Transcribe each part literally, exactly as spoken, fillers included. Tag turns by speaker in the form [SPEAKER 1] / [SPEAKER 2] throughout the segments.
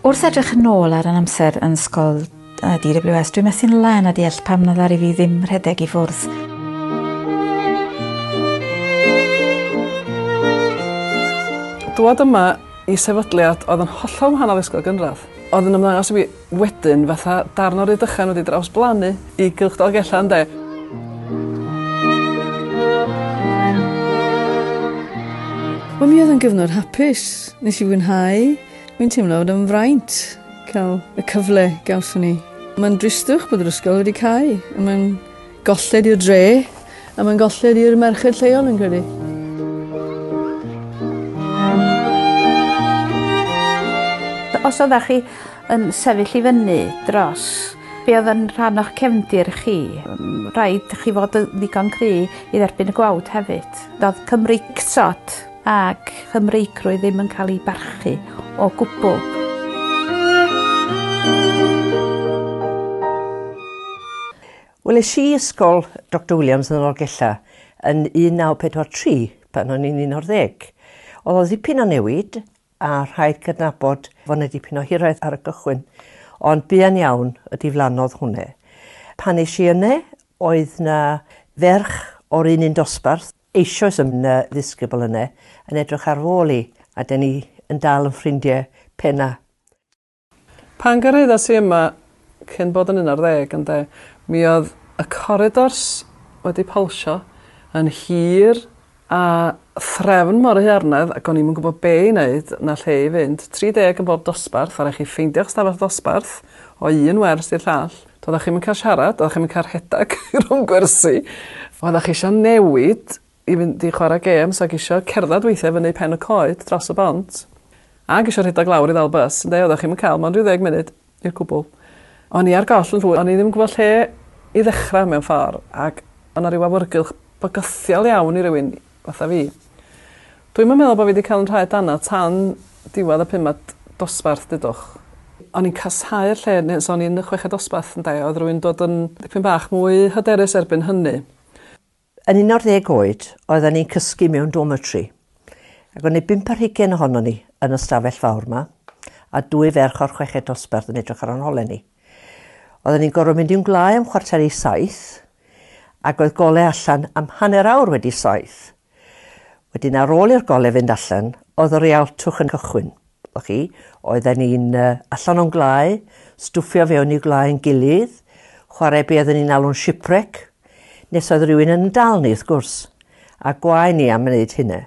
[SPEAKER 1] Wrth edrych yn ôl ar yn amser yn ysgol D W S, dwi'n methu'n lân a deall pam na ddaru fi ddim rhedeg i ffwrdd.
[SPEAKER 2] Dwad yma i sefydliad oedd yn hollol wahanol i ysgol gynradd. Oedd yn ymddangos i fi wedyn fatha darn o Rydychen wedi drawsblannu i Gylch Dolgellau, ynde?
[SPEAKER 3] Wel, mi oedd yn gyfnod hapus. Nes i fwynhau. Mi'n teimlo fod yn fraint cael y cyfle gawson ni. Mae'n dristwch bod yr ysgol wedi cau. A mae'n golled i'r dre, a mae'n golled i'r merched lleol yn credu.
[SPEAKER 4] Os oeddech chi yn sefyll i fyny dros be oedd yn rhan o'ch cefndir chi, rhaid chi fod yn ddigon cry i dderbyn y gwawd hefyd. Doedd Cymreictod ac Chymreigrwydd ddim yn cael ei barchu o gwbl.
[SPEAKER 5] Wel, es i ysgol Doctor Williams yn Dolgellau yn un naw pedwar tri pan o'n i'n un o'r ddeg. Oedd o ddipyn o newid a rhaid cydnabod fod yna dipyn o hiraeth ar y gychwyn, ond buan iawn y diflannodd hwnna. Pan es i yna, oedd na ferch o'r un un dosbarth, eisoes yn ddisgybl yna, yn edrych ar fôl i, a dyn ni yn dal yn ffrindiau penna.
[SPEAKER 2] Pan gyrhaeddas i yma, cyn bod yn un ar ddeg, ynde, mi oedd y corridors wedi polsio yn hir a threfn mor haearnedd, ac o'n i'm yn gwybod be i wneud na lle i fynd. tri deg yn bob dosbarth, a rhaid chi ffeindio'ch stafell dosbarth o un wers i'r llall. Doeddech chi'm yn cael siarad, doeddech chi'm yn cael rhedeg rhwng gwersi. Oeddech chi eisiau newid i fynd i chwarae gêms ac eisiau cerdded weithiau fyny pen y coed dros y bont. Ac eisiau rhedeg lawr i ddal bws, ynde, oeddech chi'm yn cael, mond rhyw ddeg munud i'r cwbl. O'n i ar goll yn llwyr, o'n i ddim yn gwybod lle i ddechrau mewn ffordd, ac o'n 'na ryw awyrgylch bygythiol iawn i rywun fatha fi. Dwi'm yn meddwl bod fi wedi cael yn rhaid dana tan diwedd y pumed dosbarth, dudwch. O'n i'n casáu'r lle, nes o'n i'n y chweched dosbarth, ynde, oedd rhywun dod yn dipyn bach mwy hyderus erbyn hynny.
[SPEAKER 5] Yn un o'r ddeg oed, oedden ni'n cysgu mewn dormitory. Ac o'n i bump ar hugain ohonon ni yn y stafell fawr yma, a dwy ferch o'r chweched dosbarth yn edrych ar ein holau ni. Oedden ni'n gorfod mynd i'n gwlâu am chwarter i saith, ac oedd golau allan am hanner awr wedi saith. Wedyn ar ôl i'r golau fynd allan, oedd yr rialtwch yn cychwyn. O'ch chi, oedden ni'n uh, allan o'n gwlâu, stwffio fewn i gwlâu yn gilydd, chwarae be oedden ni'n alw'n shipwreck, nes oedd rhywun yn dal ni, wrth gwrs, a gwae ni am wneud hynna.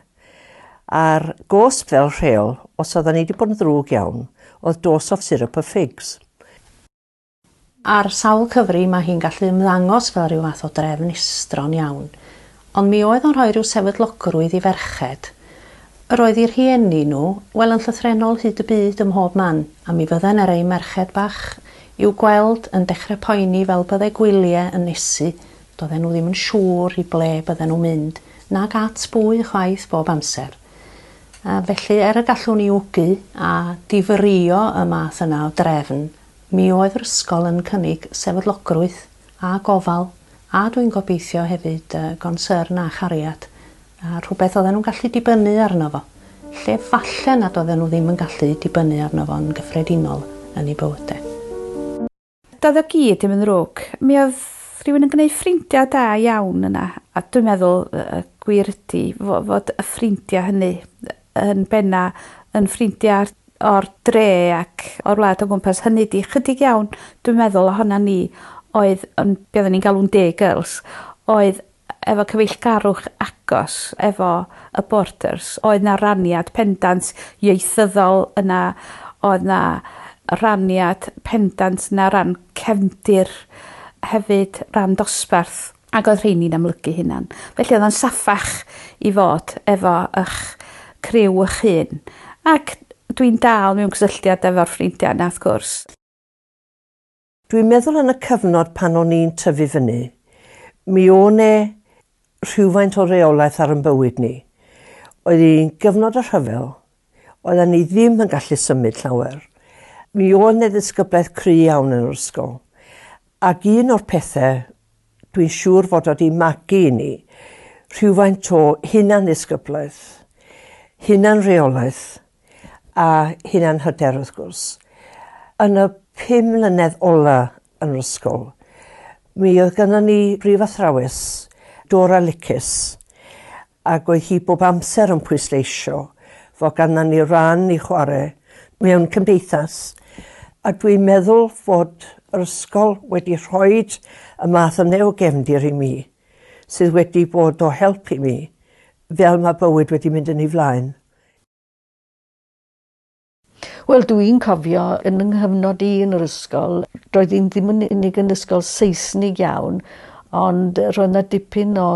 [SPEAKER 5] A'r gosb fel rheol, os oedden ni wedi bod yn ddrwg iawn, oedd dose of syrup of figs.
[SPEAKER 6] Ar sawl cyfri mae hi'n gallu ymddangos fel rhyw fath o drefn estron iawn, ond mi oedd o'n rhoi rhyw sefydlogrwydd i ferched. Yr oedd i'r rhieni nhw, wel yn llythrennol hyd y byd ym mhob man, a mi fydden ar eu merched bach i'w gweld yn dechrau poeni fel byddai gwyliau yn nesu. Doedden nhw ddim yn siŵr i ble bydden nhw'n mynd, nag at bwy chwaith bob amser. A felly, er y gallwn ni wgu a difrïo y math yna o drefn, mi oedd yr ysgol yn cynnig sefydlogrwydd a gofal, a dwi'n gobeithio hefyd uh, gonsern a chariad, a rhywbeth oedden nhw'n gallu dibynnu arno fo, lle falle nad oedden nhw ddim yn gallu dibynnu arno fo yn gyffredinol yn eu bywydau.
[SPEAKER 4] Doedd o gyd ddim yn ddrwg. Mi oedd rhywun yn gwneud ffrindiau da iawn yna, a dwi'n meddwl y gwir ydy fod y ffrindiau hynny yn benna yn ffrindiau o'r dre ac o'r wlad o gwmpas. Hynny di chydig iawn, dwi'n meddwl ohona ni oedd, yn, be oedden ni'n galw'n day girls, oedd efo cyfeillgarwch agos efo y borders. Oedd na raniad pendant ieithyddol yna, oedd na raniad pendant na ran cefndir hefyd, ran dosbarth, ac oedd rheini'n amlygu hunan. Felly oedd o'n saffach i fod efo eich criw eich hun. Ac dwi'n dal mewn cysylltiad efo'r ffrindiau yna, wrth gwrs.
[SPEAKER 5] Dwi'n meddwl yn y cyfnod pan o'n i'n tyfu fyny, mi o'n e rhywfaint o reolaeth ar yn bywyd ni. Oedd hi'n gyfnod y rhyfel, oedden ni ddim yn gallu symud llawer. Mi o'n e ddisgyblaeth cry iawn yn yr ysgol. Ac un o'r pethau dwi'n siŵr fod wedi magu i ni, rhywfaint o hunan-ddisgyblaeth, hunan-reolaeth a hunan-hyder wrth gwrs. Yn y pum mlynedd ola yn yr ysgol, mi oedd gynnon ni brifathrawes, Dora Licus, ac oedd hi bob amser yn pwysleisio fod gynnon ni ran i chwarae mewn cymdeithas. A dwi'n meddwl fod yr ysgol wedi rhoi y math yna o gefndir i mi, sydd wedi bod o help i mi, fel mae bywyd wedi mynd yn ei flaen.
[SPEAKER 7] Wel, dwi'n cofio yn yng nghyfnod i yn yr ysgol, roedd hi'n ddim yn unig yn ysgol Saesnig iawn, ond roedd yna dipyn o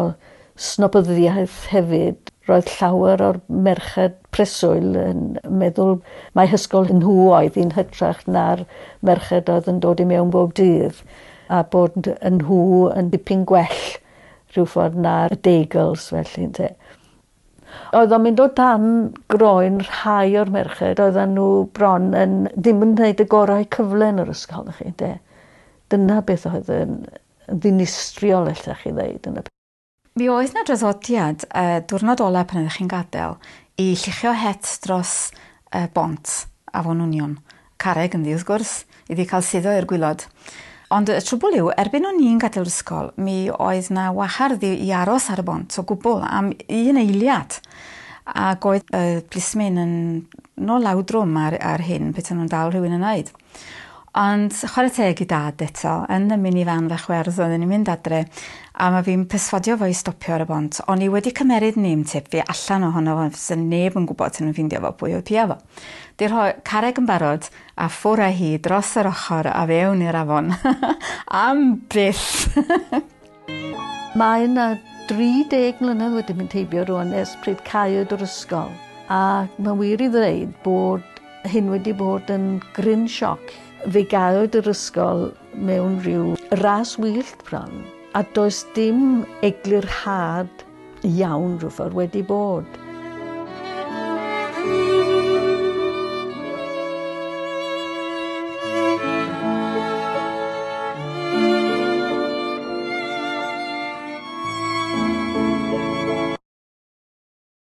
[SPEAKER 7] snobyddiaeth hefyd. Roedd llawer o'r merched preswyl yn meddwl mai hysgol nhw oedd hi'n hytrach na'r merched oedd yn dod i mewn bob dydd, a bod yn nhw yn dipyn gwell rhyw ffordd na'r day girls felly. Ynte. Oedd o'n mynd o dan groen rhai o'r merched, oedden nhw bron yn ddim yn gwneud y gorau cyfle yn yr ysgol, chi, ynte. Dyna beth oedd yn ddinistriol, ella chi ddeud. Yn y
[SPEAKER 1] Mi oedd 'na draddodiad uh, diwrnod ola pan oeddech chi'n gadael i lluchio het dros uh, bont Afon Wnion. Carreg ynddi wrth gwrs, iddi cael suddo i'r gwilod. Ond y trwbl yw, erbyn o'n i'n gadael yr ysgol, mi oedd 'na wahardd i, i aros ar y bont o gwbl am un eiliad. Ac oedd y plismyn yn no lawdrwm ar, ar hyn, petai nhw'n dal rhywun yn wneud. Ond chwarae teg i dad eto, yn y minivan fach werdd oedden ni'n mynd adre, a mae fi'n perswadio fo i stopio ar y bont. O'n i wedi cymeryd name tip fi allan ohono fo, fysa neb yn gwybod sy'n nhw'n ffeindio fo pwy oedd pia fo. Di rhoi carreg yn barod a ffwr â hi dros yr ochr a fewn i'r afon. Am byth!
[SPEAKER 7] Mae yna dri deg mlynedd wedi mynd heibio rŵan ers pryd caewyd yr ysgol, a mae'n wir i ddweud bod hyn wedi bod yn gryn sioc. Fe gaewyd yr ysgol mewn rhyw ras wyllt bron, a does dim eglurhad iawn rhyw ffordd wedi bod.